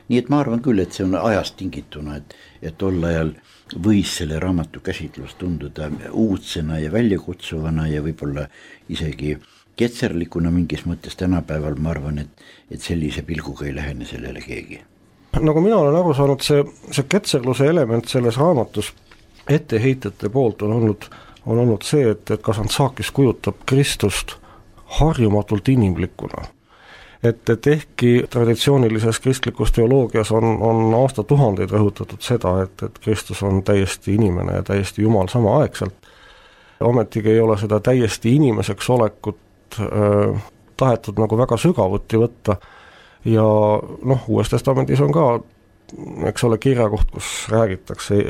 Speaker 3: Nii et ma arvan küll, et see on ajast tingituna, et, et tol ajal võis selle raamatu käsitlus tunduda uudsena ja väljakutsuvana ja võib-olla isegi ketserlikuna mingis mõttes tänapäeval, ma arvan, et, et sellise pilguga ei lähene sellele keegi.
Speaker 2: Nagu mina olen aru saanud, see, see ketserluse element selles raamatus etteheitjate poolt on olnud, on olnud see, et, et Kazantzakis kujutab Kristust harjumatult inimlikuna. Et, et ehkki traditsioonilises kristlikus teoloogias on, on aastatuhandeid rõhutatud seda, et, et Kristus on täiesti inimene ja täiesti Jumal samaaegselt, ometigi ei ole seda täiesti inimeseks olekut äh, tahetud nagu väga sügavuti võtta ja noh, Uues Testamendis on ka, eks ole, kirjakoht, kus räägitakse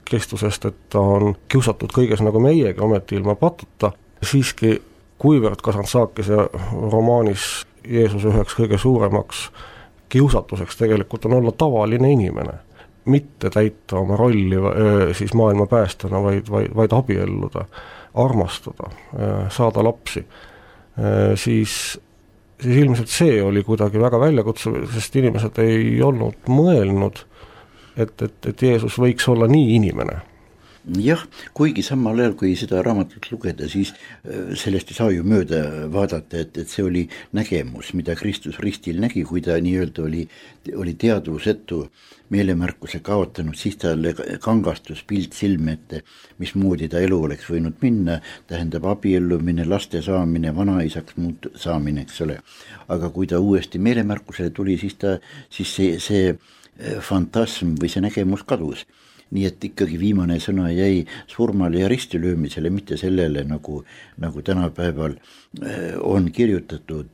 Speaker 2: Kristusest, et ta on kiusatud kõiges nagu meiegi, ometi ilma patuta, siiski kuivõrd Kazantzakise romaanis Jeesus üheks kõige suuremaks kiusatuseks tegelikult on olla tavaline inimene, mitte täita oma rolli siis maailma päästjana, vaid, vaid, vaid abielluda, armastada, saada lapsi, siis, siis ilmselt see oli kuidagi väga väljakutsuv, sest inimesed ei olnud mõelnud, et, et, et Jeesus võiks olla nii inimene.
Speaker 3: Jah, kuigi samal ajal, kui seda raamatut lugeda, siis sellest ei saa ju mööda vaadata, et, et see oli nägemus, mida Kristus ristil nägi, kui ta nii-öelda oli, oli teadvusetu meelemärkuse kaotanud, siis talle kangastus pilt silme ette, mismoodi ta elu oleks võinud minna, tähendab abiellumine, laste saamine, vanaisaks muut saamine, eks ole. Aga kui ta uuesti meelemärkusele tuli, siis, ta, siis see, see fantasm või see nägemus kadus. Nii et ikkagi viimane sõna jäi surmale ja ristilöömisele, mitte sellele, nagu, nagu tänapäeval on kirjutatud,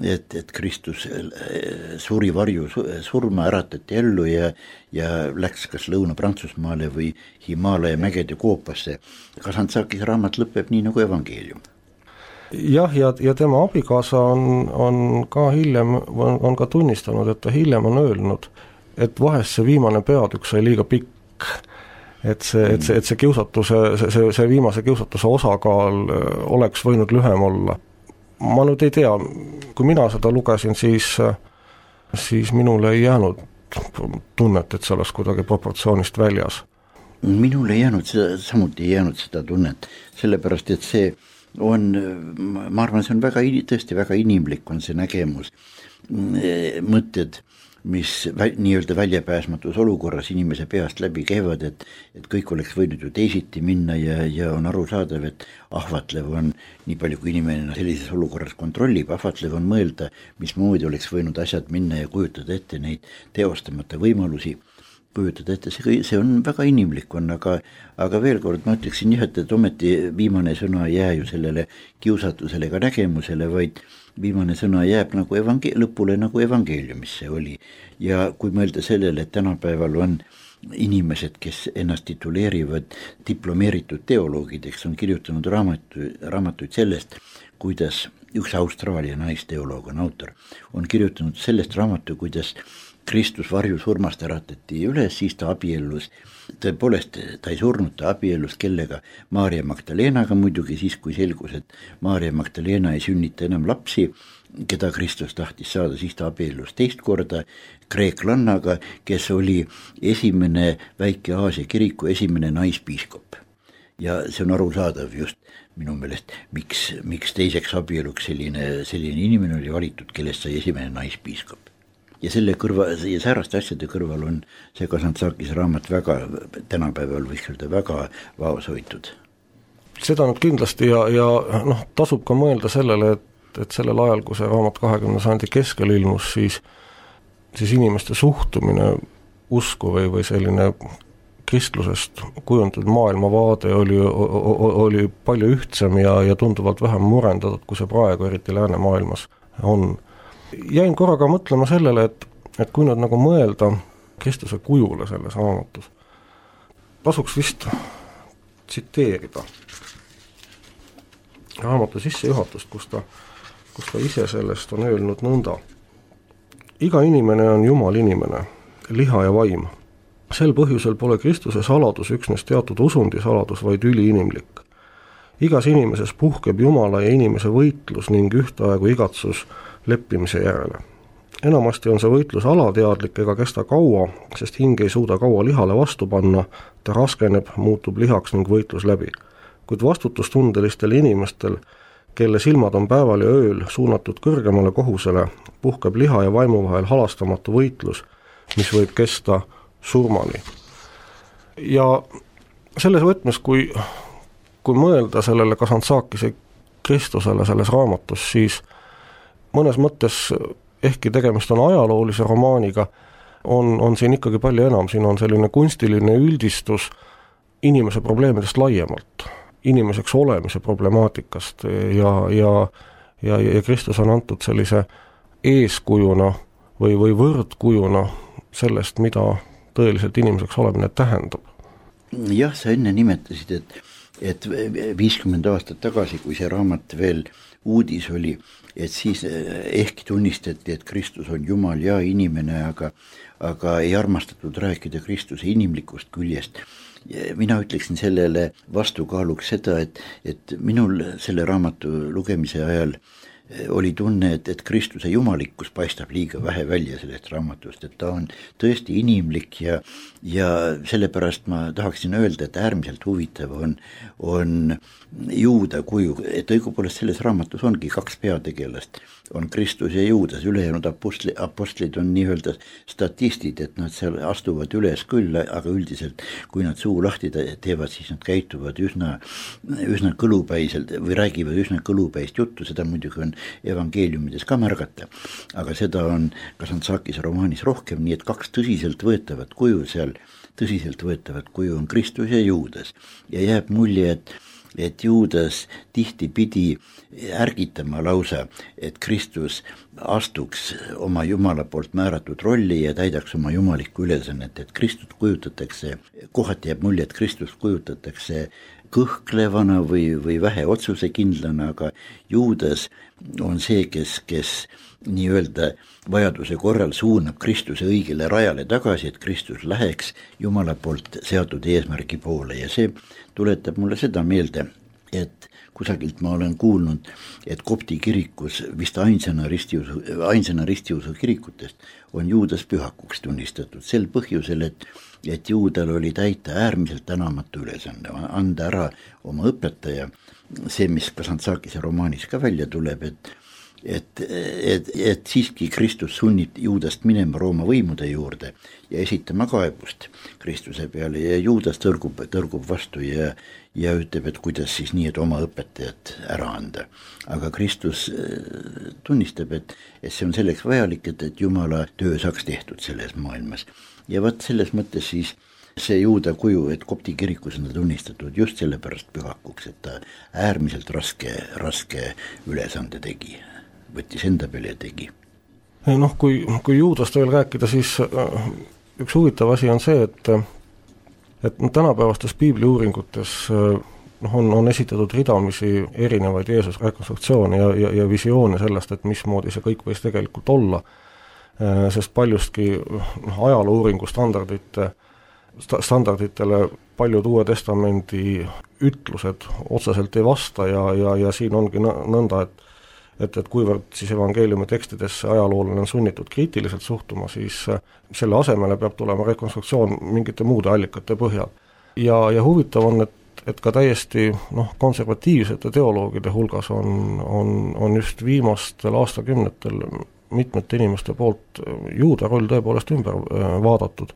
Speaker 3: et, et Kristus suri varju surma, äratati ellu ja, ja läks kas Lõuna-Prantsusmaale või Himaalaja mägede koopasse. Kazantzakis raamat lõpeb nii nagu evangeelium.
Speaker 2: Jah, ja, ja tema abikaasa on, on ka hiljem, on, on ka tunnistanud, et ta hiljem on öelnud, et vahest see viimane peatükk sai liiga pikk, et see, et see, et see kiusatuse, see, see, see viimase kiusatuse osakaal oleks võinud lühem olla. Ma nüüd ei tea, kui mina seda lugesin, siis, siis minule ei jäänud tunnet, et see oleks kuidagi proportsioonist väljas.
Speaker 3: Minule ei jäänud seda, samuti ei jäänud seda tunnet, sellepärast et see on, ma arvan, see on väga, tõesti väga inimlik on see nägemus, mõtted, mis vä, nii-öelda väljapääsmatus olukorras inimese peast läbi käivad, et, et kõik oleks võinud ju teisiti minna ja, ja on arusaadav, et ahvatlev on, nii palju kui inimene sellises olukorras kontrollib, ahvatlev on mõelda, mismoodi oleks võinud asjad minna ja kujutada ette neid teostamata võimalusi, kujutada ette, see, see on väga inimlik on, aga, aga veel kord ma ütleksin jah, et ometi viimane sõna ei jää ju sellele kiusatusele ega nägemusele, vaid viimane sõna jääb nagu evangel- lõpule nagu evangeeliumis see oli. Ja kui mõelda sellele, et tänapäeval on inimesed, kes ennast tituleerivad diplomeeritud teoloogideks, on kirjutanud raamatu, raamatuid sellest, kuidas üks Austraalia naisteoloog on autor, on kirjutanud sellest raamatu, kuidas Kristus varjusurmast äratati üles, siis ta abiellus, tõepoolest ta ei surnud, ta abiellus kellega, Maarja Magdalenaga muidugi siis, kui selgus, et Maarja Magdalena ei sünnita enam lapsi, keda Kristus tahtis saada, siis ta abiellus teist korda kreeklannaga, kes oli esimene Väike-Aasia kiriku esimene naispiiskop. Ja see on arusaadav just minu meelest, miks, miks teiseks abieluks selline, selline inimene oli valitud, kellest sai esimene naispiiskop. Ja selle kõrva, ja sääraste asjade kõrval on see Kazantzakis raamat väga, tänapäeval võiks öelda väga vaoshoitud.
Speaker 2: Seda nüüd kindlasti ja, ja noh, tasub ka mõelda sellele, et, et sellel ajal, kui see raamat kahekümne sajandi keskel ilmus, siis, siis inimeste suhtumine usku või, või selline kristlusest kujundatud maailmavaade oli, oli palju ühtsem ja, ja tunduvalt vähem murendatud, kui see praegu, eriti läänemaailmas on. Jäin korraga mõtlema sellele, et, et kui nüüd nagu mõelda Kristuse kujule selles raamatus, tasuks vist tsiteerida raamatu sissejuhatust, kus ta, kus ta ise sellest on öelnud nõnda. Iga inimene on Jumal inimene, liha ja vaim. Sel põhjusel pole Kristuse saladus üksnes teatud usundi saladus, vaid üliinimlik. Igas inimeses puhkeb Jumala ja inimese võitlus ning ühtaegu igatsus leppimise järele. Enamasti on see võitlus alateadlik ega kesta kaua, sest hing ei suuda kaua lihale vastu panna, ta raskeneb, muutub lihaks ning võitlus läbi. Kuid vastutustundelistel inimestel, kelle silmad on päeval ja ööl suunatud kõrgemale kohusele, puhkeb liha ja vaimu vahel halastamatu võitlus, mis võib kesta surmani. Ja selles võtmes, kui, kui mõelda sellele Kazantzakise Kristusele selles raamatus, siis mõnes mõttes, ehkki tegemist on ajaloolise romaaniga, on, on siin ikkagi palju enam, siin on selline kunstiline üldistus inimese probleemidest laiemalt, inimeseks olemise problemaatikast ja, ja, ja, ja Kristus on antud sellise eeskujuna või, või võrdkujuna sellest, mida tõeliselt inimeseks olemine tähendab.
Speaker 3: Jah, sa enne nimetasid, et, et viiskümmend aastat tagasi, kui see raamat veel uudis oli, et siis ehk tunnistati, et Kristus on Jumal ja inimene, aga, aga ei armastatud rääkida Kristuse inimlikust küljest. Mina ütleksin sellele vastukaaluks seda, et, et minul selle raamatu lugemise ajal oli tunne, et, et Kristuse jumalikkus paistab liiga vähe välja sellest raamatust, et ta on tõesti inimlik ja, ja sellepärast ma tahaksin öelda, et äärmiselt huvitav on, on Juuda kuju, et õigupoolest selles raamatus ongi kaks peategelast, on Kristus ja Juudas, ülejäänud apostli, apostlid on nii-öelda statistid, et nad seal astuvad üles küll, aga üldiselt kui nad suu lahti teevad, siis nad käituvad üsna, üsna kõlupäiselt või räägivad üsna kõlupäist juttu, seda muidugi on evangeeliumides ka märgata, aga seda on Kazantzakise romaanis rohkem, nii et kaks tõsiselt võetavat kuju seal, tõsiselt võetavat kuju on Kristus ja Juudas ja jääb mulje, et et Juudas tihti pidi ärgitama lausa, et Kristus astuks oma Jumala poolt määratud rolli ja täidaks oma jumalikku ülesannet, et Kristus kujutatakse, kohati jääb mulje, et Kristus kujutatakse kõhklevana või, või vähe otsusekindlana, aga Juudas on see, kes, kes nii-öelda vajaduse korral suunab Kristuse õigele rajale tagasi, et Kristus läheks Jumala poolt seatud eesmärgi poole ja see tuletab mulle seda meelde, et kusagilt ma olen kuulnud, et kopti kirikus vist ainsana ristiusu, ainsana ristiusu kirikutest on Juudas pühakuks tunnistatud sel põhjusel, et, et Juudal oli täita äärmiselt tänamatu ülesanne, anda ära oma õpetaja, see, mis Kazantzakise romaanis ka välja tuleb, et Et, et, et siiski Kristus sunnib Juudast minema Rooma võimude juurde ja esitama kaebust Kristuse peale ja Juudas tõrgub, tõrgub vastu ja, ja ütleb, et kuidas siis nii, et oma õpetajat ära anda. Aga Kristus tunnistab, et, et see on selleks vajalik, et, et Jumala töö saaks tehtud selles maailmas. Ja võt selles mõttes siis see Juuda kuju, et kopti kirikus on ta tunnistatud just sellepärast pühakuks, et ta äärmiselt raske, raske ülesande tegi. Võttis enda peale ja tegi.
Speaker 2: Noh, kui, kui Juudast veel rääkida, siis üks huvitav asi on see, et, et tänapäevastes piibli uuringutes noh, on, on esitatud ridamisi erinevaid Jeesuse rekonstruktsioone ja, ja, ja visioone sellest, et mismoodi see kõik võis tegelikult olla, sest paljustki noh, ajaloo uuringu standardite, standarditele paljud Uue Testamendi ütlused otseselt ei vasta ja, ja, ja siin ongi nõnda, et et, et kuivõrd siis evangeeliumi tekstidesse ajaloolane on sunnitud kriitiliselt suhtuma, siis selle asemele peab tulema rekonstruktsioon mingite muude allikate põhjal. Ja, ja huvitav on, et, et ka täiesti noh, konservatiivsete teoloogide hulgas on, on, on just viimastel aastakümnetel mitmete inimeste poolt Juuda roll tõepoolest ümber vaadatud.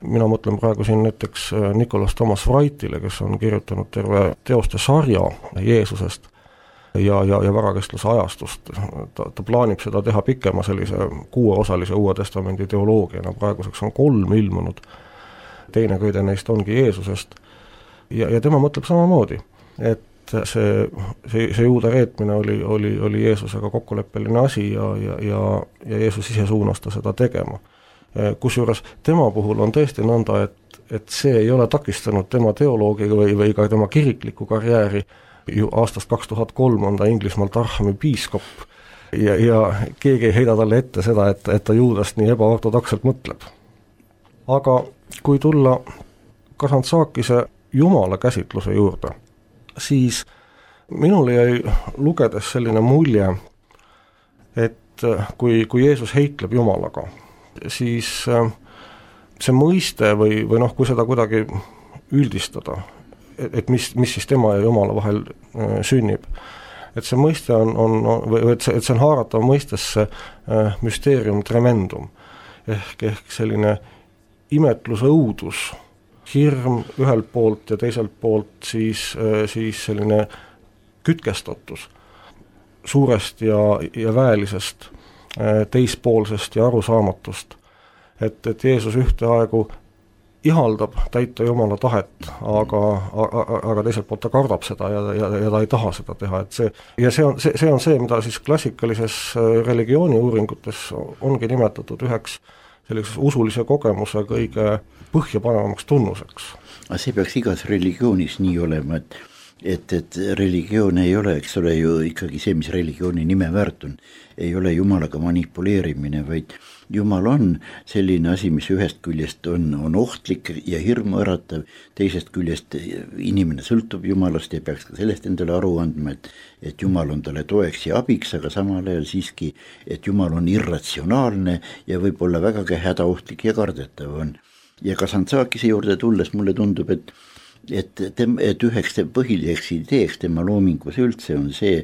Speaker 2: Mina mõtlen praegu siin näiteks Nicholas Thomas Wrightile, kes on kirjutanud terve teoste sarja Jeesusest, ja, ja, ja varakestluse ajastust. Ta, ta plaanib seda teha pikema sellise kuueosalise Uue Testamendi teoloogiana, praeguseks on kolm ilmunud, teine köide neist ongi Jeesusest ja, ja tema mõtleb samamoodi, et see, see, see Juuda reetmine oli, oli, oli Jeesusega kokkuleppeline asi ja, ja, ja, ja Jeesus ise suunas ta seda tegema. Kusjuures tema puhul on tõesti nõnda, et, et see ei ole takistanud tema teoloogiga või, või ka tema kirikliku karjääri. Ju aastast kaks tuhat kolm on ta Inglismaalt Arhami piiskop ja, ja keegi ei heida talle ette seda, et, et ta Juudast nii ebaortodokselt mõtleb. Aga kui tulla Kazantzakise Jumala käsitluse juurde, siis minul jäi lugedes selline mulje, et kui, kui Jeesus heitleb Jumalaga, siis see mõiste või, või noh, kui seda kuidagi üldistada, et mis, mis siis tema ja Jumala vahel äh, sünnib. Et see mõiste on, on või et see, et see on haaratav mõistesse äh, müsteerium tremendum, ehk, ehk selline imetluse õudus, hirm ühelt poolt ja teiselt poolt siis, äh, siis selline kütkestatus suurest ja, ja väelisest, äh, teispoolsest ja arusaamatust. Et, et Jeesus ühteaegu ihaldab täita Jumala tahet, aga, aga, aga teiselt poolt ta kardab seda ja, ja, ja ta ei taha seda teha, et see, ja see on see, see on see, mida siis klassikalises religiooni uuringutes ongi nimetatud üheks sellises usulise kogemuse kõige põhjapanevamaks tunnuseks.
Speaker 3: Aga see peaks igas religioonis nii olema, et et, et religioon ei ole, eks ole ju ikkagi see, mis religiooni nime väärt on, ei ole Jumalaga manipuleerimine, vaid Jumal on selline asi, mis ühest küljest on, on ohtlik ja hirmu äratav, teisest küljest inimene sõltub Jumalast ja peaks ka sellest endale aru andma, et, et Jumal on talle toeks ja abiks, aga samal ajal siiski, et Jumal on irratsionaalne ja võib olla vägagi hädaohtlik ja kardetav on. Ja Kazantzakise juurde tulles mulle tundub, et Et, tem, et üheks põhiliseks ideeks tema loomingus üldse on see,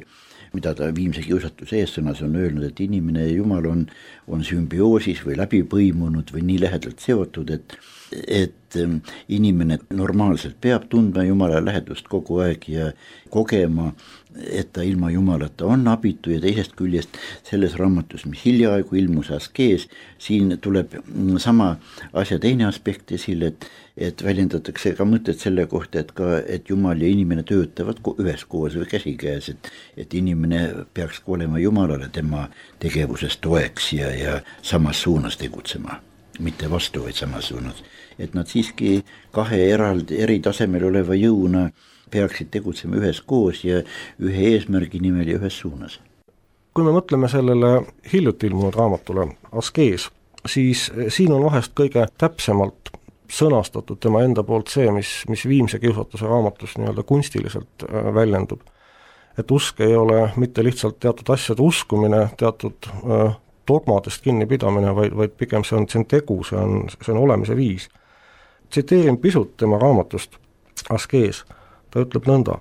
Speaker 3: mida ta viimse kiusatuse eessõnas on öelnud, et inimene ja Jumal on, on sümbioosis või läbi põimunud või nii lähedalt seotud, et, et inimene normaalselt peab tundma Jumala lähedust kogu aeg ja kogema, et ta ilma Jumalata on abitu ja teisest küljest selles raamatus, mis hiljaaegu ilmus Askees, siin tuleb sama asja teine aspekt esile, et, et väljendatakse ka mõtet selle kohta, et ka, et Jumal ja inimene töötavad üheskoos või käsikäes, et, et inimene peaks olema Jumalale tema tegevuses toeks ja, ja samas suunas tegutsema, mitte vastu, vaid samas suunas. Et nad siiski kahe eraldi, eri tasemel oleva jõuna peaksid tegutsema üheskoos ja ühe eesmärgi nimel ja ühes suunas.
Speaker 2: Kui me mõtleme sellele hiljuti ilmunud raamatule Askees, siis siin on vahest kõige täpsemalt sõnastatud tema enda poolt see, mis, mis viimse kiusatuse raamatus nii-öelda kunstiliselt väljendub. et usk ei ole mitte lihtsalt teatud asjade uskumine, teatud äh, dogmadest kinnipidamine, vaid, vaid pigem see on, see on tegu, see on, see on olemise viis. Tsiteerin pisut tema raamatust Askees, ta ütleb nõnda: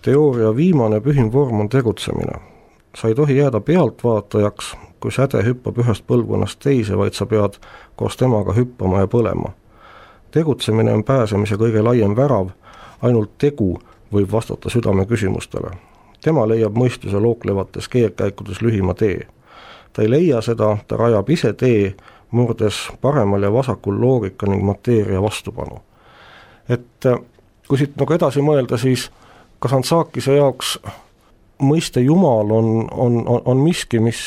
Speaker 2: teooria viimane pühim vorm on tegutsemine. Sa ei tohi jääda pealtvaatajaks, kui säde hüppab ühest põlvkonnast teise, vaid sa pead koos temaga hüppama ja põlema. Tegutsemine on pääsemise kõige laiem värav, ainult tegu võib vastata südame küsimustele. Tema leiab mõistuse looklevates keerkäikudes lühima tee. Ta ei leia seda, ta rajab ise tee, murdes paremal ja vasakul loogika ning mateeria vastupanu. Et kui siit nagu edasi mõelda, siis Kazantzakise jaoks mõiste Jumal on, on, on, on miski, mis,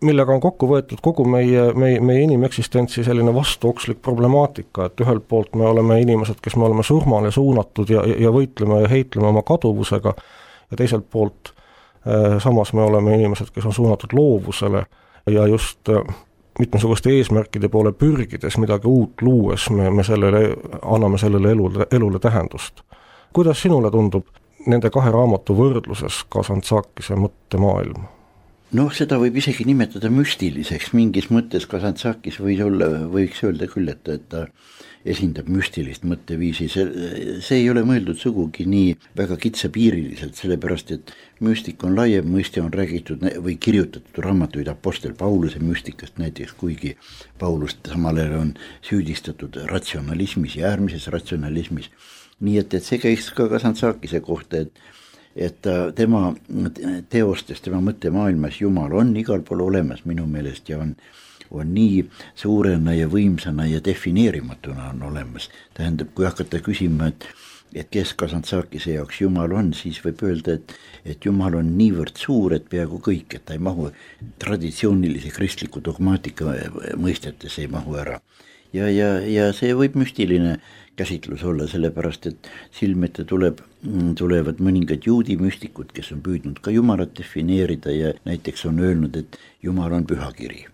Speaker 2: millega on kokku võetud kogu meie, meie, meie inimeksistentsi selline vastuokslik problemaatika, et ühelt poolt me oleme inimesed, kes me oleme surmale suunatud ja, ja võitleme ja heitleme oma kaduvusega, ja teiselt poolt eh, samas me oleme inimesed, kes on suunatud loovusele ja just eh, mitmesuguste eesmärkide poole pürgides midagi uut luues me, me sellele, anname sellele elule, elule tähendust. Kuidas sinule tundub nende kahe raamatu võrdluses Kazantzakise mõttemaailm?
Speaker 3: Noh, seda võib isegi nimetada müstiliseks, mingis mõttes Kazantzakis võis olla, võiks öelda küll, et, et ta esindab müstilist mõtteviisi, see, see ei ole mõeldud sugugi nii väga kitsapiiriliselt, sellepärast et müstik on laiem mõiste, on räägitud või kirjutatud raamatuid Apostel Pauluse müstikast näiteks, kuigi Paulust samal ajal on süüdistatud ratsionalismis ja äärmises ratsionalismis. Nii et, et see käiks ka Kazantzakise kohta, et et tema teostes, tema mõttemaailmas Jumal on igal pool olemas minu meelest ja on, on nii suurena ja võimsana ja defineerimatuna on olemas. Tähendab, kui hakata küsima, et, et kes Kazantzakise jaoks Jumal on, siis võib öelda, et, et Jumal on niivõrd suur, et peaaegu kõik, et ta ei mahu traditsioonilise kristliku dogmaatika mõistetes ei mahu ära. Ja, ja, ja see võib müstiline käsitlus olla, sellepärast, et silmete tuleb, tulevad mõningad juudi müstikud, kes on püüdnud ka Jumalat defineerida ja näiteks on öelnud, et Jumal on pühakiri.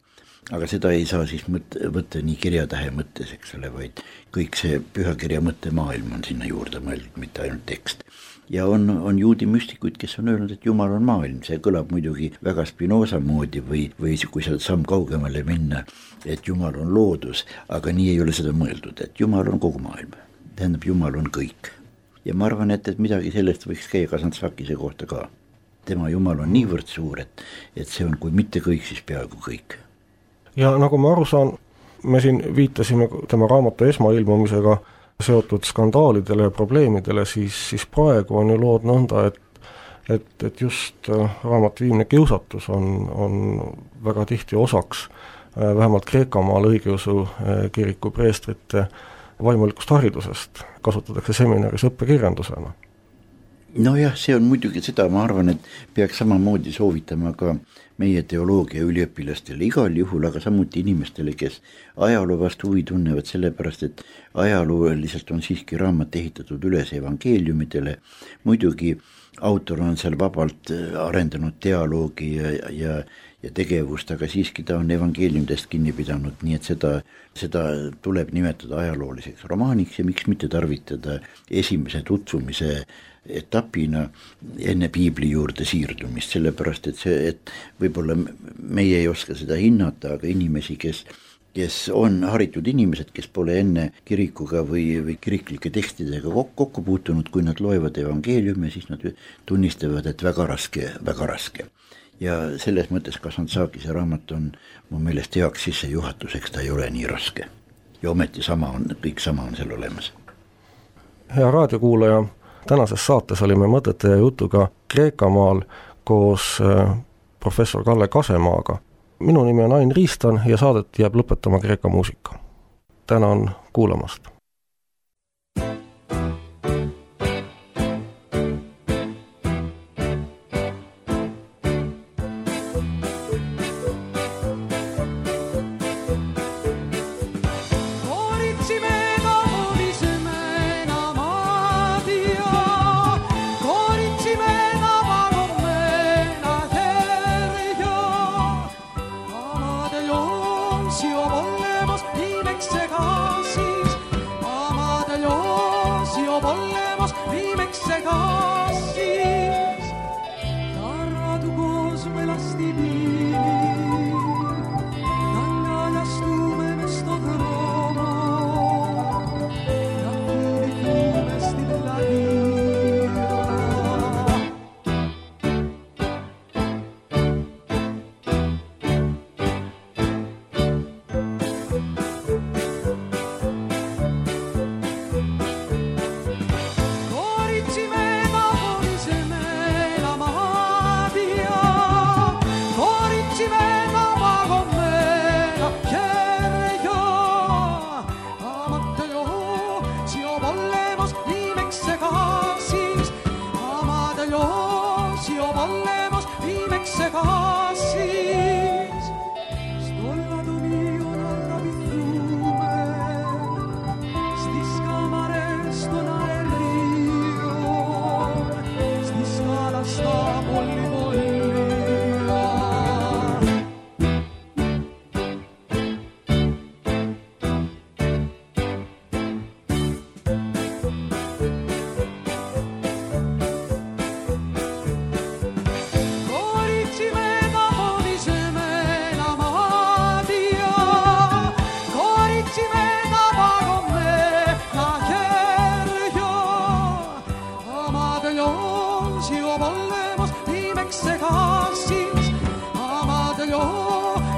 Speaker 3: Aga seda ei saa siis mõtte, võtta nii kirjatähe mõttes, eks ole, vaid kõik see pühakirja mõttemaailm on sinna juurde mõeldud, mitte ainult tekst. Ja on, on juudi müstikuid, kes on öelnud, et Jumal on maailm, see kõlab muidugi väga Spinoza moodi või, või kui sa samm kaugemale minna, et Jumal on loodus, aga nii ei ole seda mõeldud, et Jumal on kogu maailm, tähendab Jumal on kõik. Ja ma arvan, et, et midagi sellest võiks käia Kazantzakise kohta ka. Tema Jumal on niivõrd suur, et, et see on kui mitte kõik, siis peaaegu kõik.
Speaker 2: Ja nagu ma aru saan, me siin viitasime tema raamatu esmailmumisega seotud skandaalidele ja probleemidele, siis, siis praegu on ju lood nõnda, et, et, et just raamatu Viimne kiusatus on, on väga tihti osaks vähemalt Kreekamaal õigeusu kiriku preestrite vaimulikust haridusest, kasutatakse seminaris õppekirjandusena.
Speaker 3: No jah, see on muidugi seda, ma arvan, et peaks samamoodi soovitama ka meie teoloogia üliõpilastele igal juhul, aga samuti inimestele, kes ajaloo vastu huvi tunnevad, sellepärast, et ajalooliselt on siiski raamat ehitatud üles evangeeliumidele. Muidugi autor on seal vabalt arendanud dialoogi ja, ja, ja tegevust, aga siiski ta on evangeeliumidest kinni pidanud, nii et seda, seda tuleb nimetada ajalooliseks romaaniks ja miks mitte tarvitada esimese tutvumise etapina enne piibli juurde siirdumist, sellepärast, et see, et võib-olla meie ei oska seda hinnata, aga inimesi, kes, kes on haritud inimesed, kes pole enne kirikuga või, või kiriklike tekstidega kokku puutunud, kui nad loevad evangeeliumi, siis nad tunnistavad, et väga raske, väga raske. Ja selles mõttes Kazantzakise raamat on mu meelest heaks sissejuhatuseks, ta ei ole nii raske. Ja ometi sama on, kõik sama on seal olemas.
Speaker 2: Hea raadiokuulaja, tänases saates olime mõtete ja jutuga Kreekamaal koos professor Kalle Kasemaaga. Minu nimi on Ain Riistan ja saadet jääb lõpetama Kreeka muusika. Tänan kuulamast.
Speaker 5: Volvemos vivex segasis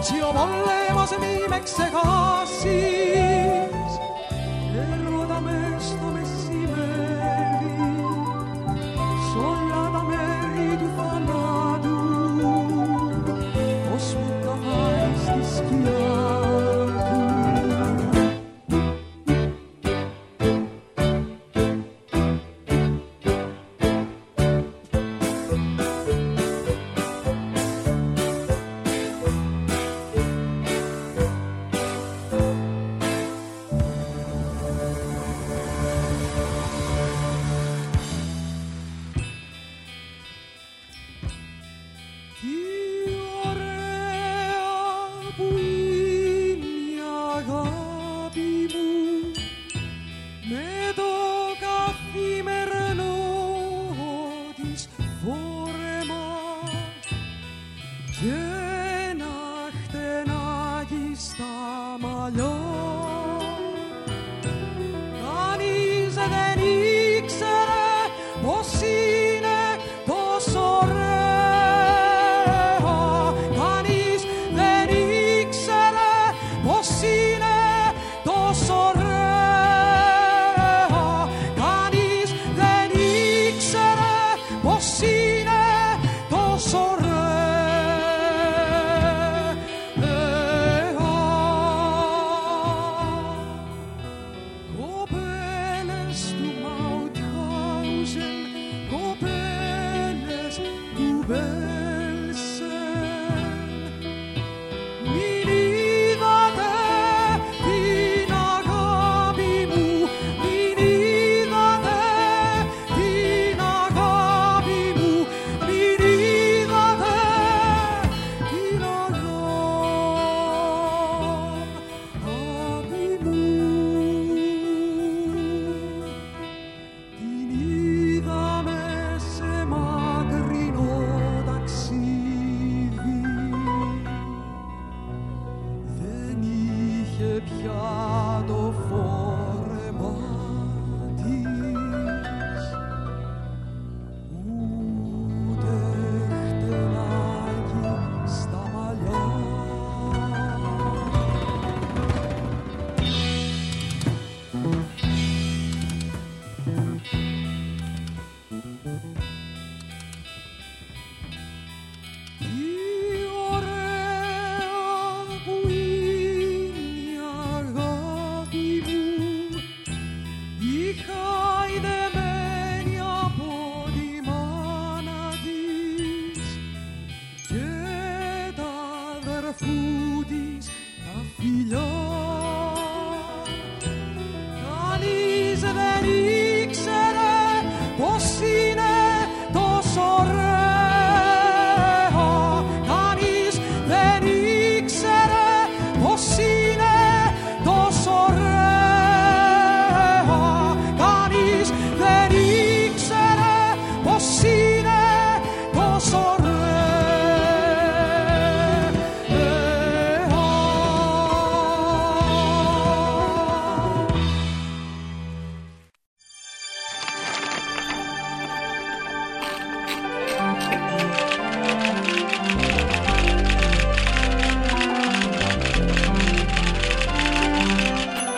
Speaker 5: Zio voleva se mi mekse kassis, ero da mesto messi meri, solla da meri du fanadu, osmutta faisti schiatu.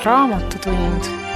Speaker 1: Raamatutund.